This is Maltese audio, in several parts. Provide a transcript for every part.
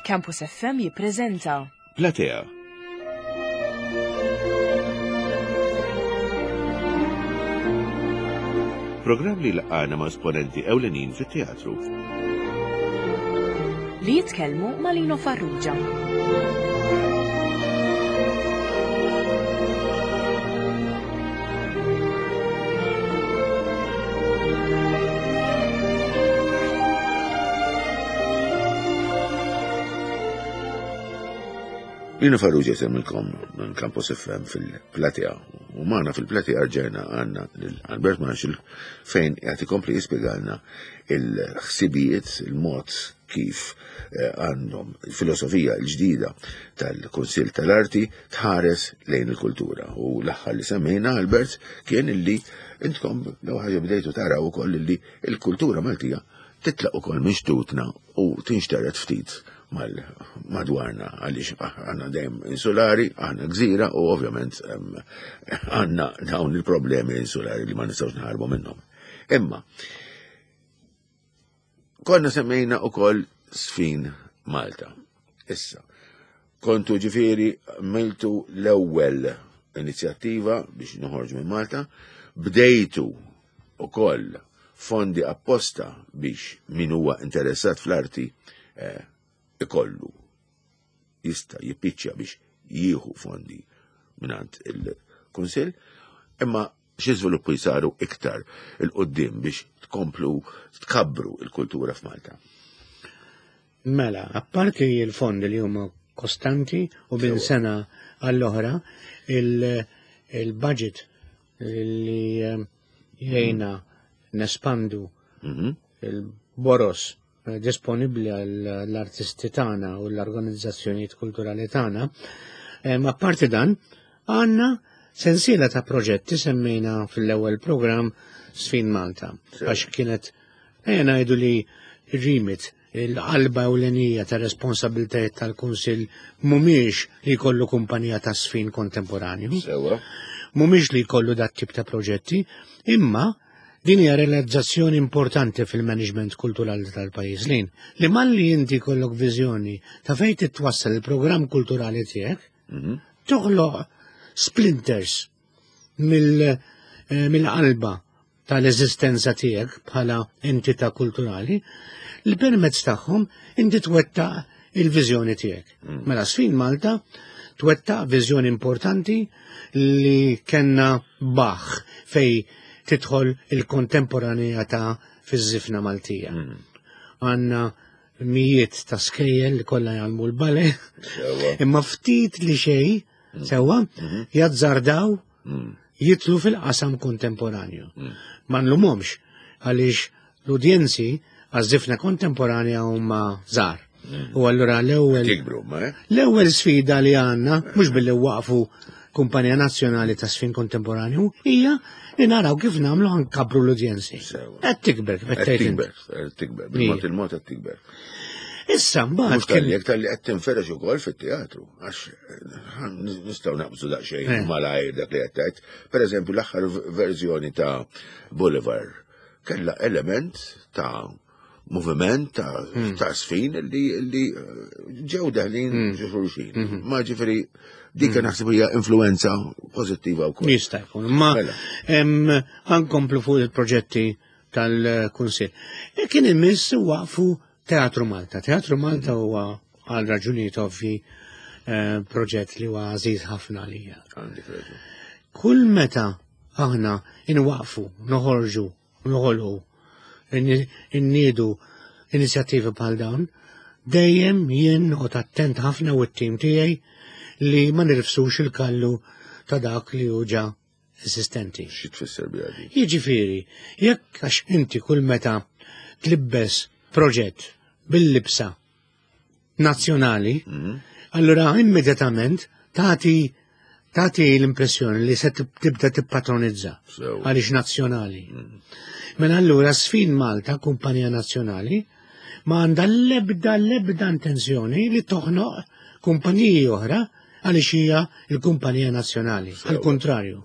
Campus FM jippreżenta Platea. Programm li laqana ma' esponenti ewlenin fit-teatru. Li jitkellmu ma' Lino Farrugia. Lino Farrugia jsemmilkom minn Campus FM fil-Platea. U magħna fil-Platea rġajna għandna lil Albert Marshall fejn qed ikompli jispjegalna il-ħsibijiet, il-mod kif eh, għandhom il-filosofija l-ġdida tal-Kunsill tal-Arti tħares lejn il-kultura. U l-aħħar li semmejna Albert kien illi intkom l ħaġa bdejtu taraw ukoll illi il-kultura Maltija titlaq ukoll minn xtutna u tinxtered ftit mal-madwarna għaliex aħna dejjem insulari, aħna gżira u ovvjament għandna dawn il-problemi insulari li ma nistgħux naħarbu minnhom. Imma konna semmejna ukoll sfin Malta. Issa, kontu ġifieri miltu l-ewwel inizjattiva biex noħorġu minn Malta, bdejtu ukoll fondi apposta biex min huwa interessat fl-arti eh, ikollu jista' jippiċċja biex jieħu fondi mingħand il-Kunsill, imma xi żviluppi saru iktar il-qoddim biex tkomplu tkabbru il-kultura f'Malta. Mela, apparti il-fondi li huma kostanti u minn sena għall-oħra, il-budget li eh, jgħina nespandu mhm. il-boros eh, disponibbli għall-artisti tagħna u l-organizzazzjonijiet kulturali tagħna. Eh, ma parti dan, għandna sensiela ta' proġetti semmejna fil-ewwel programm Sfin Malta. Għax kienet ejja ngħidu li rimit Il-qalba ewlenija ta' responsabiltajiet tal-Kunsill mhumiex li jkollu kumpanija ta' sfin kontemporanju. Sewa. Mhumiex li jkollu dat tip ta' proġetti, imma din hija realizzazzjoni importanti fil-management kulturali tal-pajjiż lin li malli inti jkollok viżjoni ta' fejn titwassal il-programm kulturali tiegħek, mhm. toħloq splinters eh, mill-qalba tal-eżistenza tiegħek bħala entità kulturali li permezz tagħhom inti twettaq il-viżjoni tiegħek. Mm. Mela sfin Malta twettaq viżjoni importanti li kenna baħ fej tidħol il-kontemporanea fiż-żifna Maltija. Mm. Għanna mijiet ta' skejjel li kollha jgħallmu l-bale, imma ftit li xej, mm. sewwa, mm-hmm. jazzardaw mm. jitlu fil-qasam kontemporanju. Mm. Ma nlumhomx għaliex l-udjenzi għaż-żifna kontemporanja huma żgħar. Mm. U allura l-ewwel eh? l-ewwel sfida li għandna mhux billi waqfu kumpanija nazzjonali ta' sfin kontemporanju hija li naraw kif nagħmlu ħankabru l-udjenzi. Qed tikber, qed tikber, qed tikber, bil-mod il-mod qed tikber. Issa mbagħad. Mhux tal-li tal-li qed tinferex ukoll fit-teatru, għax eh, nistgħu naqbżu daqsxejn eh. malajr dak li qed tgħid. Pereżempju l-aħħar verżjoni ta' Boulevard kellha element ta' moviment ta' hmm. ta' sfin li li eh, ġew daħlin hmm. ġo xulxin. Hmm. Ma ġifieri dik naħseb hija influenza pożittiva wkoll. Jista' jkun, ma mela. ħankomplu fuq il-proġetti tal-Kunsill. E kien imiss waqfu Teatru Malta. Teatru Malta huwa għal raġunijiet ovvi eh, proġett li huwa għażiż ħafna għalija. Kull meta aħna inwaqfu, noħorġu, noħolqu, inniedu inizjattivi bħal dawn, dejjem jien noqgħod attent ħafna u t-tim tiegħi li ma nirfsux il-kallu ta' dak li hu ġa eżistenti. Xi tfisser biha din? Jiġifieri, jekk għax inti kull meta tlibbes proġett bil-libsa nazzjonali, mhm. allura immedjatament tagħti tagħti l-impressjoni li se tibda tippatronizza għaliex nazzjonali. Mhm. Mela allura sfin Malta, kumpanija nazzjonali, ma għandha l-ebda l-ebda intenzjoni li toħnoq kumpaniji oħra għaliex hija l-kumpanija nazzjonali. Għal kontrarju.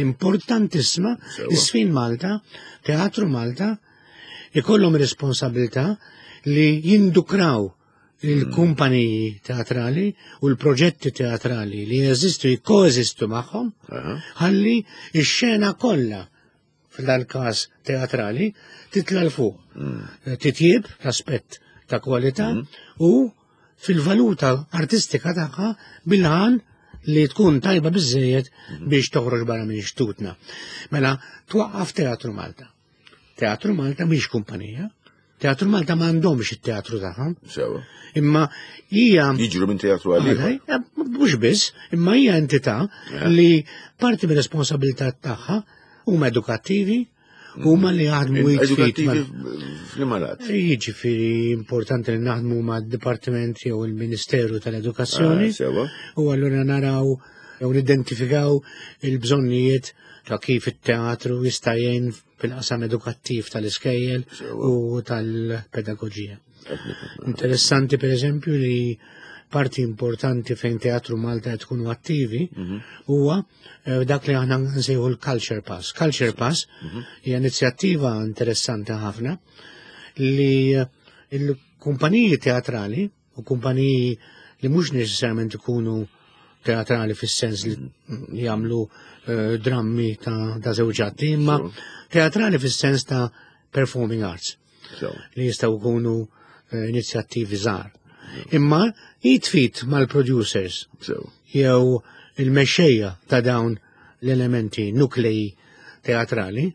Importantissima l-Sfin Malta, Teatru Malta, ikollhom responsabilità li jindukraw. il-kumpaniji teatrali u l-proġetti teatrali li jeżistu jikkoeżistu magħhom, ħalli x-xena kollha f'dal-każ teatrali titla' 'l fuq. Titjieb l-aspett ta' kwalità u fil-valuta artistika tagħha bil-għan li tkun tajba biżejjed biex toħroġ barra minn xtutna. Mela, twaqqaf Teatru Malta. Teatru Malta mhix kumpanija. Teatru Malta m'għandhomx it-teatru tagħhom. Sewa. Imma hija Jiġru minn teatru għal ieħor. Eh, mhux biss, imma hija entità li parti mir-responsabilità tagħha huma edukattivi, huma li jaħdmu Edukattivi fl-imalat. Jiġifieri importanti li naħdmu mad-Dipartiment jew il-Ministeru tal-Edukazzjoni. Ah, sewa. U allura naraw jew nidentifikaw il-bżonnijiet ta' kif it-teatru jista' jgħin fil-qasam edukattiv tal-iskejjel u tal-pedagoġija. Interessanti per eżempju li parti importanti fejn Teatru Malta qed tkunu attivi mhm. huwa eh, dak li aħna nsejħu l-Culture Pass. Culture Pass mhm. hija inizjattiva interessanti ħafna li eh, il-kumpaniji teatrali u kumpaniji li mhux neċessarjament ikunu teatrali fis-sens li jagħmlu eh, drammi ta', ta żewġ atti, imma teatrali fis-sens ta' performing arts li jistgħu jkunu eh, inizjattivi żgħar. Imma jitfit mal-producers jew il-mexxejja ta' dawn l-elementi nuklei teatrali,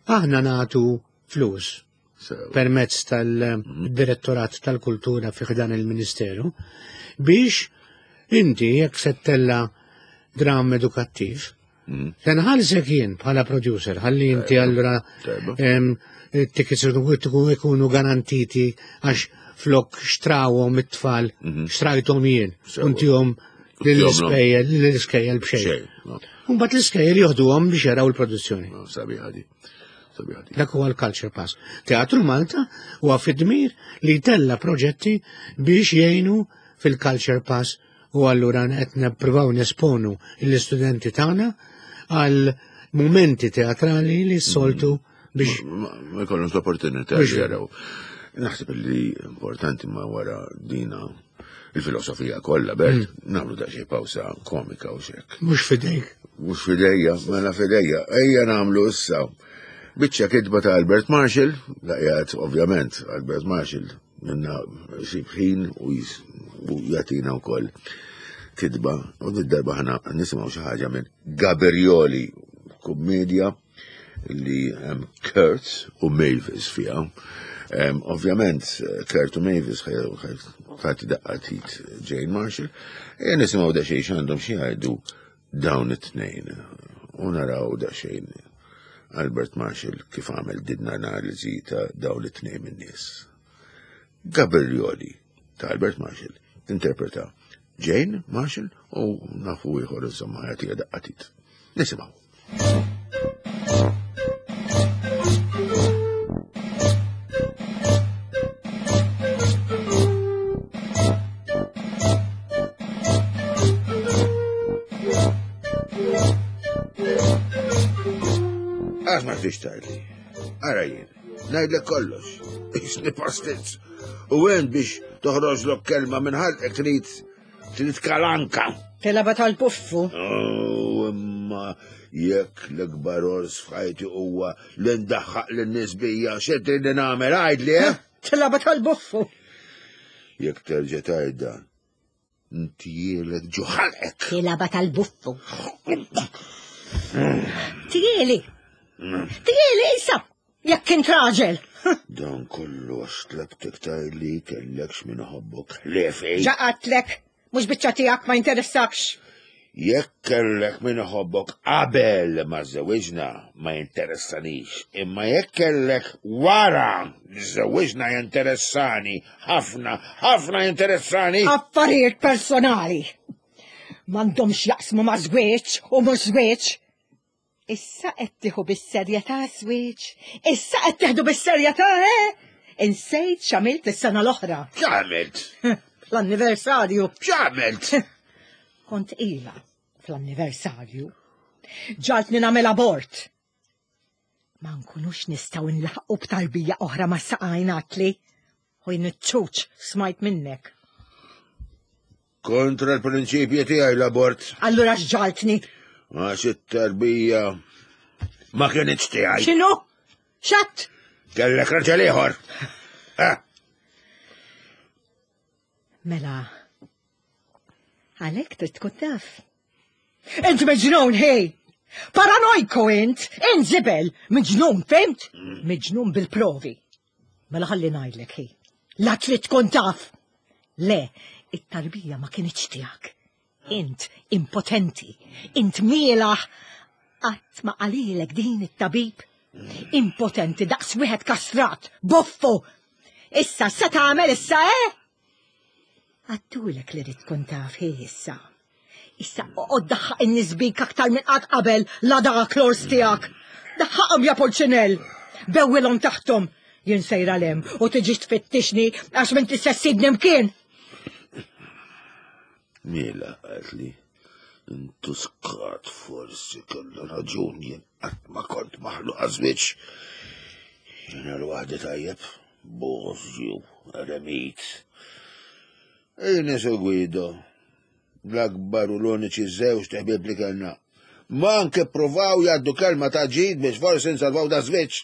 aħna nagħtu flus permezz tal-Direttorat tal-Kultura fi ħdan il-Ministeru biex inti jekk se ttella dram edukattiv, mm. se nħallsek jien bħala producer, ħalli inti allura tickets ikunu garantiti għax flok xtrawhom it-tfal, mhm. xtrajthom jien, untihom l-iskejjel, l-iskejjel b'xejn. Mbagħad l-iskejjel joħduhom biex jaraw il-produzzjoni. Sabiħa di. Dak huwa l-Culture Pass. Teatru Malta huwa fid-dmir li jtella proġetti biex jgħinu fil-Culture Pass u allura qed nippruvaw nesponu l-istudenti tagħna għal mumenti teatrali li s-soltu biex. Ma jkollhomx l-opportunità li jaraw. Naħseb li importanti ma wara dina il-filosofija kollha, Bert, mm. nagħmlu daqsxejn pawsa komika u xek. Mhux fidejk. Mhux fidejja, mela fidejja. Ejja nagħmlu issa. Biċċa kitba ta' Albert Marshall, laqjat ovvjament Albert Marshall minna xi ħin u jagħtina wkoll kitba u darba ħana nisimgħu xi ħaġa minn Gabrioli, kummedja li hemm Kurt u Mavis fiha. Ovvjament, Kurt u Mavis ħati daqqa tit Jane Marshall, e nisimgħu daqsxejn x'għandhom xi jgħidu dawn it-tnejn. U naraw daqsxejn Albert Marshall kif għamel din analiżi ta' dawn it-tnejn min-nies. Gabrioli ta' Albert Marshall tinterpreta Jane Marshall u nafu ieħor insomma jagħtiha daqqatit. Nisimgħu. Għax ma tix tgħidli. Ara jien, ngħidlek kollox. Isni pastizz. U għen biex toħroġlok kelma minn ħalqek trid trid kalanka. Tilaba tal-puffu. Oh, imma jekk l-ikbar ors f'ħajti huwa li ndaħħaq lin-nies bija xi trid nagħmel għidli, eh? Tilaba tal-buffu. Jekk terġa' tgħidha, ntielek ġo ħalqek. Tilaba tal-buffu. Tieli. Tieli isa. Jekk int raġel. Dan kollu għax tlabtek tgħidli kellekx min iħobbok ħliefi. Ġaqatlek, mhux biċċa tiegħek ma jinteressakx. Jekk kellek min iħobbok qabel ma żżewwiġna ma jinteressanix, imma jekk kellek wara li żżewwiġna jinteressani ħafna, ħafna jinteressani. Affarijiet personali. M'għandhomx jaqsmu ma' żwieġ u mhux żwieġ. Issa qed tieħu bis-serjetà żwieġ. Issa qed teħdu bis-serjetà, eh? Insejt x'għamilt is-sena l-oħra. X'għamilt? Fl-anniversarju. X'għamilt? Kont ila fl-anniversarju. Ġaltni nagħmel abort. Ma nkunux nistgħu nlaħqu b'tarbija oħra ma' saqajn għatli. U jien iċ-ċuċ smajt minnek. Kontra l-prinċipji tiegħi l-abort. Allura x'ġaltni? Għax it-tarbija ma kienitx tiegħi. X'inhu? Xatt? Kellek raġel ieħor. Eh. Mela, għalhekk trid tkun taf. Int miġnun, hej! Paranojku int! Int żibel! Miġnun, fimt? Miġnun bil-provi. Mela ħalli ngħidlek, hej. La trid tkun taf! Le, it-tarbija ma kinitx tiegħek. Int impotenti, int mielaħ. Qatt ma qalilek din it-tabib. Impotenti daqs wieħed kastrat, boffu. Issa se tagħmel issa, eh? Għattulek li rrid tkun taf hi issa. Issa oqgħod daħħaq in-nies bik aktar minn qatt qabel la dak l-ors tiegħek. Daħħaqhom ja Pulċinell. Bewwilhom taħthom. Jien sejra lem u tiġix tfittixni għax m'inti se ssibni mkien. Mela qaltli, intuskat forsi kellu raġun jien qatt ma kont maħluq għaż-żwieġ. Jiena l-waħdi tajjeb, bożju, eremit. Ines u Guido, l-akbar u l-uniċi żewġ ħbieb li kellna. Ma anke provaw jgħaddu kelma ta' ġid biex forsi nsalvaw da żwieġ.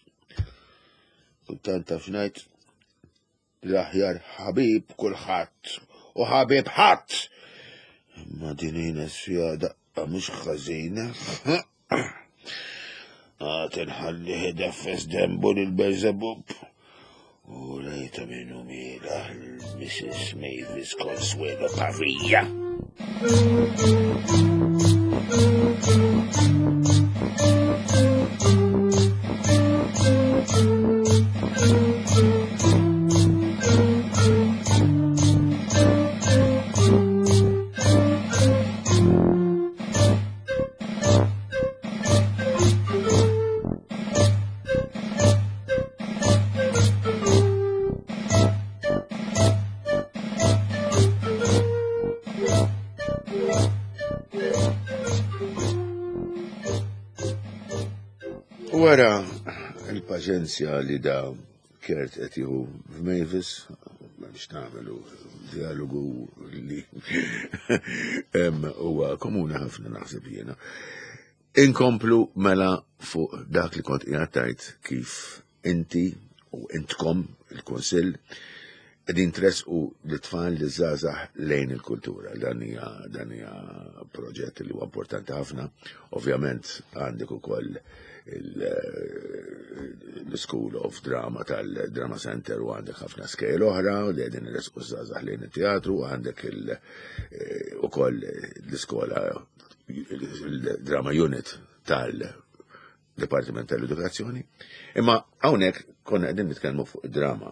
Kultant taf x'ngħid, L-aħjar ħabib kulħadd u ħabib ħadd. Imma din Ines fiha daqqa mhux ħażina. Għad inħallih ideffes dembu lil Belzebub. U lejta minnu miela l-Mrs. Mavis Consuelo Pavia. Wara il-paċenzja li da Kert qed jieħu f'Mavis, biex nagħmlu dialogu li huwa komuni ħafna naħseb jiena. Inkomplu mela fuq dak li kont qiegħed tgħid kif inti u intkom il-Kunsill qegħdin tressqu l-tfal li żgħażagħ lejn il-kultura. Dan hija dan hija proġett li huwa importanti ħafna. Ovvjament għandek ukoll l-School of Drama tal-Drama Center u għandek ħafna skejl oħra li qegħdin iressqu żgħażagħ lejn it-teatru, għandek eh, ukoll l-iskola il-Drama Unit tal Dipartiment tal-Edukazzjoni. Imma hawnhekk konna qegħdin nitkellmu fuq drama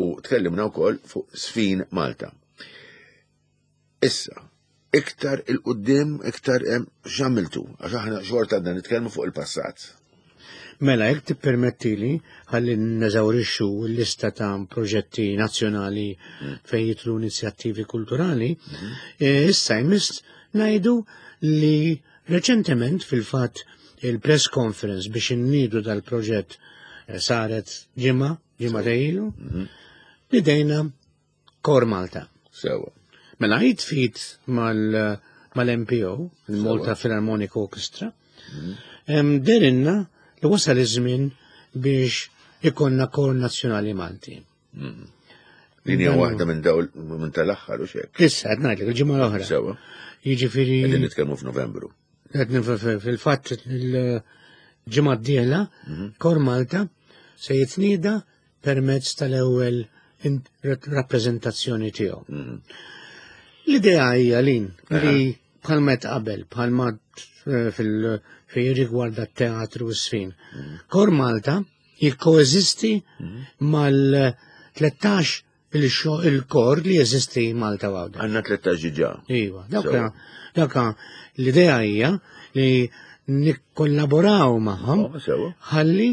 u tkellimna wkoll fuq Sfin Malta. Issa, iktar il-qudiem, iktar hemm x'għamiltu, għax aħna xorta għadna nitkellmu fuq il-passat. Mela, jekk tippermettili, ħalli neżawrixxu l-lista ta' proġetti nazzjonali mm. fejn jitlu inizjattivi kulturali, mm-hmm. eh, issa jmiss ngħidu li Reċentement, fil-fatt, il-press conference biex inniedu dal-proġett eh, saret ġimgħa, ġimgħa ilu, mhm. nidejna Kor Malta. Sewa. Mela jitfit mal-MPO, il-Malta Philharmonic Orchestra, mhm. derinna li wasal iż-żmien biex ikonna kor nazzjonali Malti. Mhm. Din hija waħda minn dawl minn tal-aħħar u xek. Issa qed ngħidlek il-ġimgħa l-oħra. Sewa. Jiġifieri. Qegħdin nitkellmu f'Novembru. Qed fil-fatt il-ġimgħa d-dieħla mhm. Kor Malta se jitnieda permezz tal-ewwel rappreżentazzjoni tiegħu. Mhm. L-idea hija lin li bħalma qabel, bħalma eh, fil rigwarda t-teatru u s-sfin. Mhm. Kor Malta jikkoeżisti mal-13 il-kor li jeżisti Malta u Għawdex. Għandna 13 ġiġa. Iva, dawka l-idea hija li nikkollaboraw magħhom oh, ħalli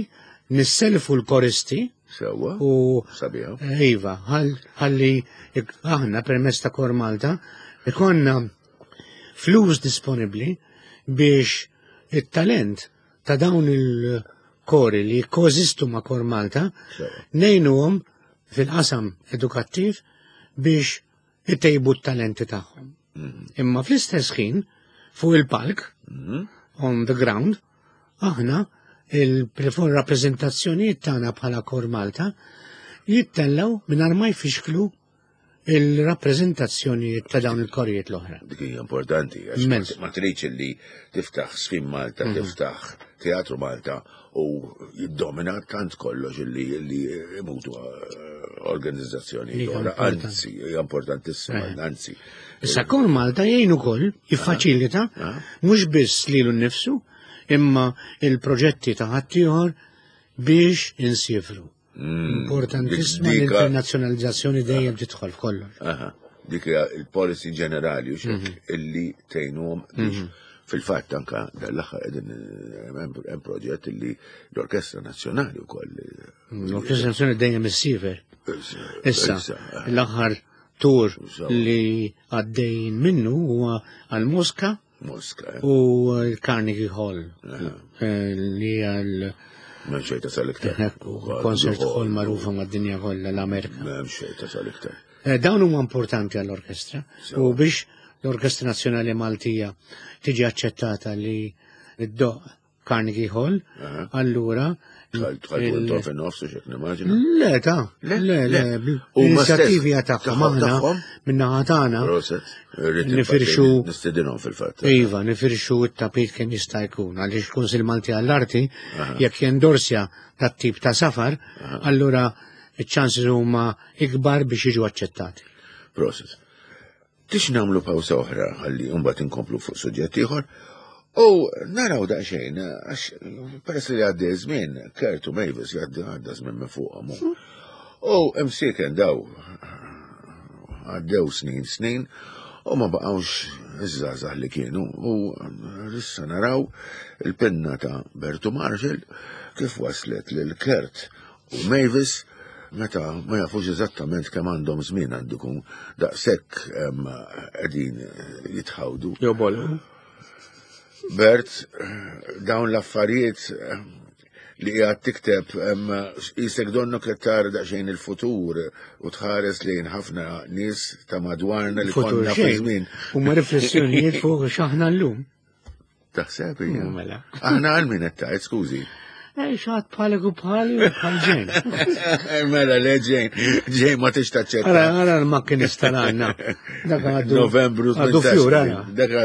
nisselfu l-koristi Sewa. U sabiħa. Iva, ħalli aħna permezz ta' Kor Malta ikonna flus disponibbli biex it-talent ta' dawn il-kori li jikkoeżistu ma' Kor Malta, ngħinuhom fil-qasam edukattiv biex itejbu t-talenti tagħhom. Imma fl-istess ħin, fuq il-palk, on the ground, aħna il-rappreżentazzjonijiet tagħna bħala Kor Malta jittellaw mingħajr ma jfixklu il-rappreżentazzjonijiet ta' dawn il-korijiet l-oħra. Dik hija importanti, għax ma tridx li tiftaħ Sfin Malta, tiftaħ Teatru Malta u jiddomina tant kollox li li imutu eh, organizzazzjoni oħra. Anzi, hija importantissima, eh. anzi. Issa Kor Malta jgħin ukoll jiffaċilita ah. mhux biss lilu nnifsu imma il-proġetti ta' ħaddieħor biex insifru. Importantissima l-internazzjonalizzazzjoni dejjem tidħol f'kollox. Dik hija il-policy ġenerali u mhm. illi tgħinuhom biex mhm. fil-fatt anka dal-aħħar qegħdin eh, hemm proġett illi l-Orkestra Nazzjonali wkoll. Eh, L-Orkestra Nazzjonali dejjem issifer. Issa, l-aħħar tur li għaddejn minnu huwa għal Mosca Mosca. Eh. U l-Carnegie Hall. Eh, li għal. M'hemm xejn tasal iktar. Concert hall magħrufa mad-dinja kollha l-Amerika. M'hemm xejn tasal iktar. Eh, dawn huma importanti għall-orkestra u biex l-Orkestra Nazzjonali Maltija tiġi aċċettata li d-doq Carnegie Hall, allura. Tħaltu fin-nofs u xek nimmaġina. Le, ta' le, le, l-inizjattivi tagħhom aħna minnaħa tagħna. Nifirxu. Nistedinhom fil-fatt. Iva, nifirxu t-tapit kemm jista' jkun għaliex Kunsil Malti għall-Arti jekk jendorsja dat-tip ta' safar, allura iċ-ċansi huma ikbar biex jiġu aċċettati. Proset. Tix nagħmlu pawsa oħra ħalli mbagħad inkomplu fuq suġġett ieħor. U naraw daqsxejn, għax peress li għaddi żmien, Kurt u Mavis jgħaddi għadda żmien minn fuqhom. U imsieken daw għaddew snin snin u ma baqgħux iż-żgħażagħ li kienu u issa naraw il-pinna ta' Bertu Marshall kif waslet lil Kurt U Mavis, meta ma jafux eżattament kemm għandhom żmien għandu jkun daqshekk qegħdin jitħawdu. Jobolu. Bert, dawn l-affarijiet li qiegħed tikteb isek donnu qed tara daqsxejn il-futur u tħares lejn ħafna nies ta' madwarna li konna fi żmien. Huma riflessjonijiet fuq x'aħna llum. Taħseb hija. Mela. Aħna għal min qed tgħid, skużi. Eh, xaħat bħalek u bħali u bħal ġejn. Mela, le ġejn, ġejn ma tix taċċetta. Ara, ara l-makkinista għanna. Dak għaddu. Novembru Għaddu fjur, ara. Dak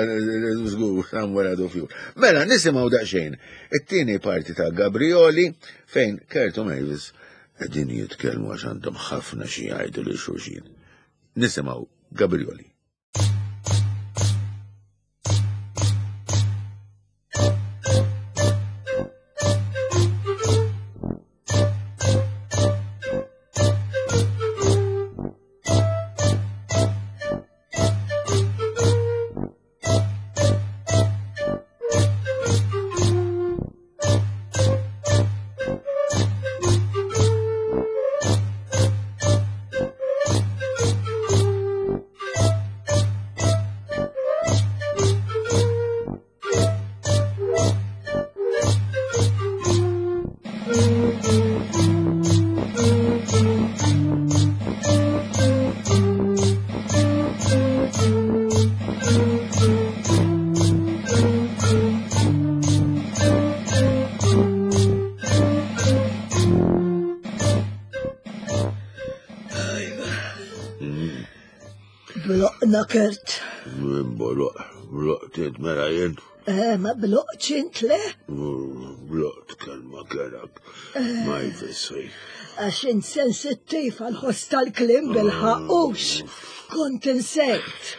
żgur, somewhere għaddu fjur. Mela, nisimgħu daqsxejn. It-tieni parti ta' Gabrioli fejn Kurt u Mavis qegħdin jitkellmu għax għandhom ħafna xi jgħidu lil xulxin. Nisimgħu Gabrioli. Bloqna Kurt. Bloq, bloq mela jien. Eh, ma bloqx int le? Bloqt kelma kerak. Eh. Ma jfissri. Għax int sensittiv għal-ħoss tal-klim bil-ħaqqux. Kont insejt.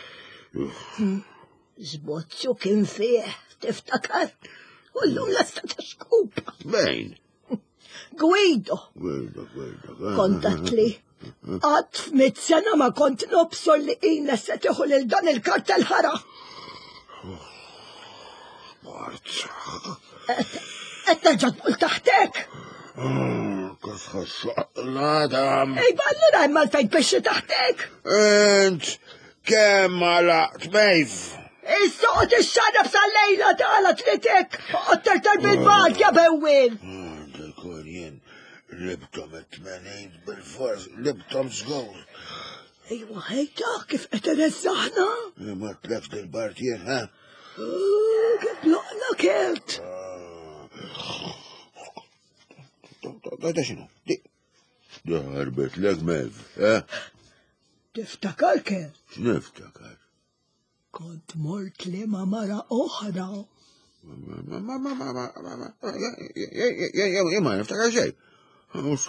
Żbozzu kien fih, tiftakar? U llum lesta ta' xkupa. Bejn. Guido. Guido, Guido. Kontatli. Qatt f'mit sena ma kont nobsor li Ines se tieħu lil dan il-kartel ħara. Qed terġa' tqul taħtek. L-għadam. Ejba allura hemm għalfejn tpixxi taħtek. Int kemm għalaqt mejf. Issa qod ixxarrab sal-lejla tagħla tlitek, oqgħod terter bil-bad ja bewwil. Dikun jien libtom it-tmenin bil-fors, libtom żgur. Ejwa ħejta kif qed ireżżaħna. Ma tleft il-bart jien, ha? Kif loqna kelt. Da xinu? Da ħarbet lek mev, eh? Tiftakar kelt? X'niftakar? Kont mort li ma mara oħra. Ma ma ma ma ma ma ma ma niftakar xejn. Kont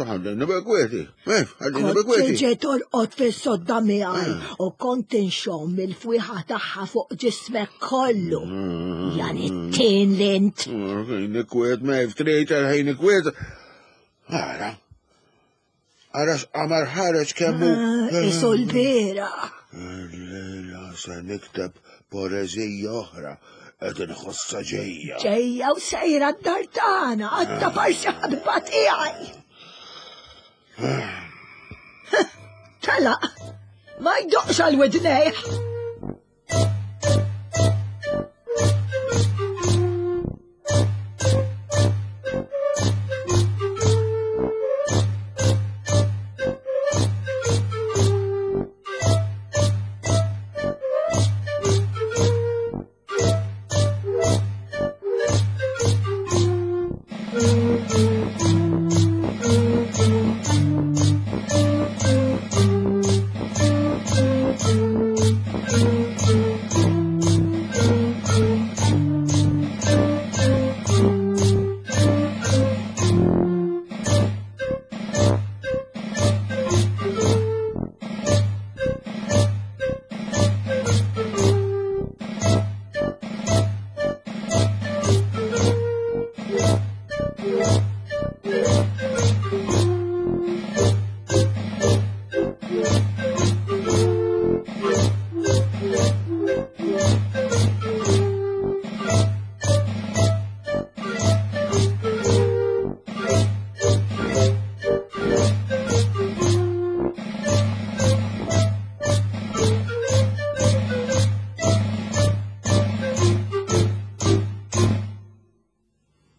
ġejt torqod fis-sodda miegħi u kont inxomm il-fwieħa tagħha fuq ġismek kollu. Jan it-tin l-int. Ħin ikwiet, Mev, trid ħin ikwiet. Ara, Ara x'qamar ħareġ kemm hu. Ah, isu l-bira. Lejla se nikteb poeżija oħra qed inħossha ġejja. Ġejja u sejra d-dar tagħna għatta parsi ħabiba tiegħi. Telaq, ma jdoqx għal widnejh.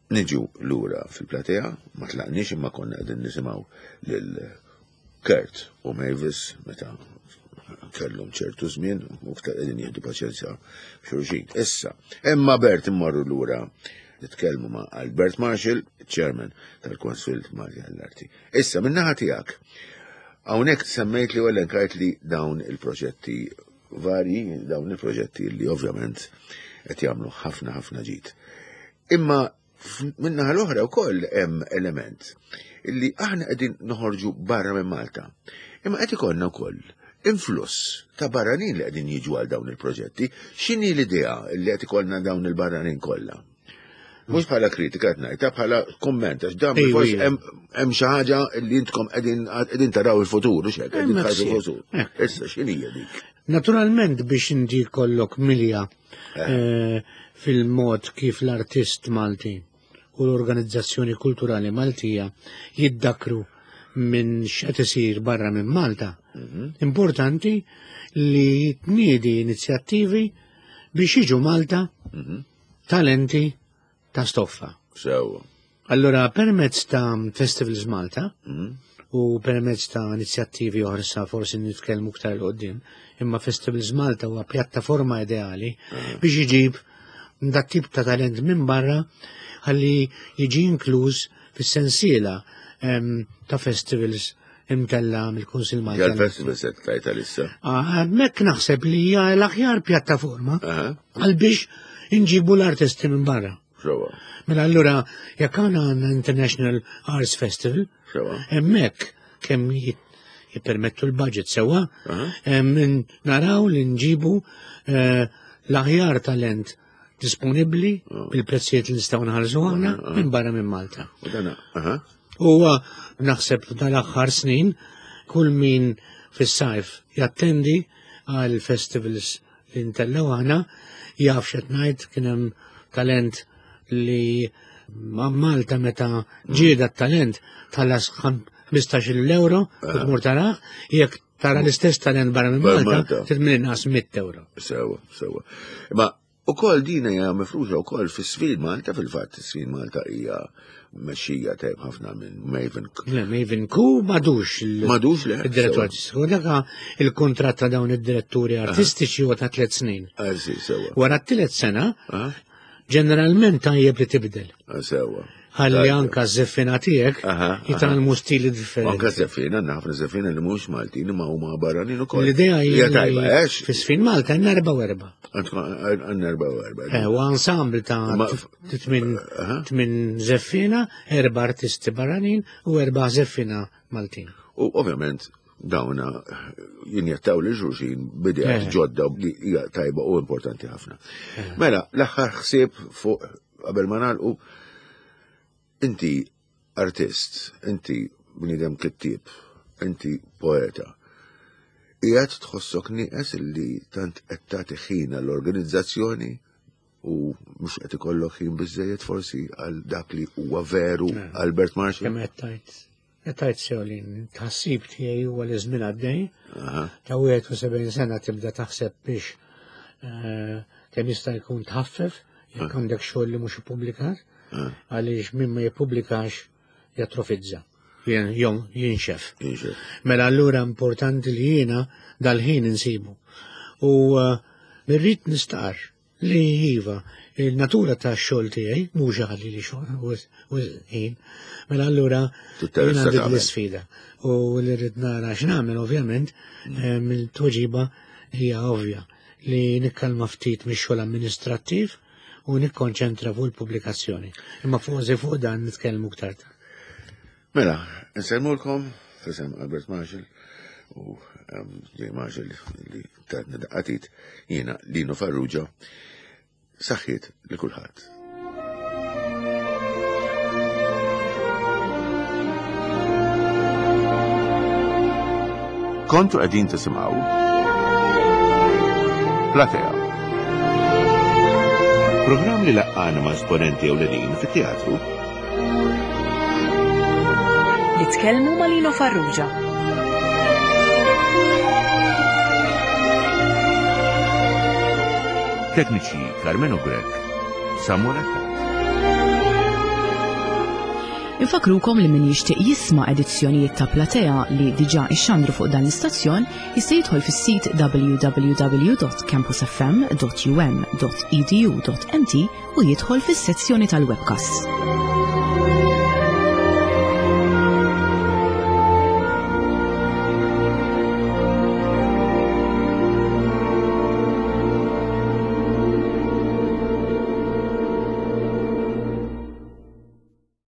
Niġu lura fil-platea, ma tlaqniex imma konna qegħdin nisimgħu lil Kurt u Mavis meta kellhom ċertu żmien u iktar qegħdin jieħdu paċenzja xulxin. Issa, imma Bert immorru lura nitkellmu ma' Albert Marshall, chairman tal-Konsil Malti għall-Arti. Issa, min-naħa tiegħek, hawnhekk semmejt li u elenkajt li dawn il-proġetti varji, dawn il-proġetti li ovvjament qed jagħmlu ħafna ħafna ġid. Imma minnaħa l-oħra wkoll hemm element li aħna qegħdin noħorġu barra minn Malta. Imma qed ikollna wkoll influss ta' barranin li qegħdin jiġu għal dawn il-proġetti. X'inhi l-idea li qed ikollna dawn il-barranin kollha? Mhux bħala kritika qed ngħidha, bħala kumment għax dan forsi hemm xi ħaġa li intkom qegħdin taraw il-futur, u x'hekk qegħdin tħarsu il-futur. Issa x'inhi dik? Naturalment biex inti jkollok milja eh. Eh, fil-mod kif l-artist Malti u l-organizzazzjoni kulturali Maltija jiddakru minn x'qed isir barra minn Malta. Mhm. Importanti li tniedi inizjattivi biex jiġu Malta mhm. talenti ta' stoffa. Sewa. Allora, permezz ta' Festivals Malta mm. u permezz ta' inizjattivi oħra sa forsi nitkellmu iktar l qoddim imma Festivals Malta huwa pjattaforma ideali mm. biex iġib dat tip ta' talent minn barra ħalli jiġi inkluż fis-sensiela ta' festivals imtella mill-Kunsil Malti. Għal-festival se tajta lissa. Ah, hemmhekk naħseb li hija l-aħjar pjattaforma għal biex inġibu l-artisti minn barra. Sewa. Mela allura jekk għandna għandna International Arts Festival, hemmhekk kemm jippermettu l-budget sewa, naraw li nġibu eh, l-aħjar talent disponibbli oh. bil-prezzijiet li nistgħu nħallsu aħna minn barra minn Malta. Huwa naħseb dal-aħħar snin kull min fis-sajf jattendi għal festivals li ntellaw aħna jaf x'qed ngħid kien hemm talent li ma' Malta meta ġieda talent tħallas 15 euro u tmur taraħ jekk tara l-istess talent barra minn Malta trid minn inqas 100 euro. Sewa, sewa. Ma. Ukoll din hija mifruxa wkoll fis-Sfin Malta, fil-fatt is-Sfin Malta hija mexxija tajb ħafna minn Maven. Le, Maven Ku madux Madux le. Il-direttur artistiku. Daka il-kuntratt ta' dawn id-diretturi artistiċi huwa ta' tliet snin. Ah, sewa. Wara t-tielet sena, ġeneralment tajjeb li tibdel. Ah, sewa. Ħalli anka z-zeffina tiegħek jitgħallmu stili differenti. Anka z-zeffina, ħafna zeffina li mhux Maltin imma huma barranin ukoll. L-idea hija tajba, għax. Fis-sfin Malta għandna erba' u erba'. Għandna erba' u erba'. Eh, u ensemble ta' tmin zeffina, erba' artisti barranin u erba' zeffina Maltin. U ovvjament dawna jinjettaw li xulxin bidejat eh. ġodda li hija tajba u importanti ħafna. Eh. Mela, l-aħħar ħsieb fuq qabel ma nagħlqu inti artist, inti bniedem kittieb, inti poeta. Qiegħed tħossok nieqes li tant qed tagħti ħin għall-organizzazzjoni u mhux qed ikollok ħin biżejjed forsi għal dak li huwa veru eh. Albert Marshall. Kemm qed tgħid Qed tgħid sew li tħassib tiegħi huwa li żmien għaddej. Ta' 71 sena tibda taħseb biex eh, kemm jista' jkun tħaffef jekk għandek xogħol li mhux ippubblikat, għaliex min ma jippubblikax jatrofizza. Jom jinxef. Mela allura importanti li jiena dal-ħin insibu. U eh, irrid nistqarr Li iva, il-natura ta' xogħol tiegħi mhux għalli li xogħol u ħin. Mela allura jien għandi l-isfida. U li rrid nara x'nagħmel ovvjament mm. eh, mill-tweġiba hija ovvja li nikkalma ftit mix-xogħol amministrattiv u nikkonċentra fuq il-pubblikazzjoni. Imma fuq fuq dan nitkellmu iktar tard. Mela, nsellmulkom f'isem Albert Marshall u J. Marshall li tatna daqqatit jiena Lino Farrugia saħħiet li kulħadd. Kontu qegħdin tisimgħu Platea. Programm li laqqana ma' esponenti ewlenin fit-teatru Nitkellmu ma' Lino Farrugia. Tekniċi Carmelo Grech, Samuel Attard. Infakrukom li min jixtieq jisma' edizzjonijiet ta' Platea li diġà ixxandru fuq dan l-istazzjon jista' jidħol fis-sit www.campusfm.um.edu.mt u jidħol fis-sezzjoni tal-webcasts.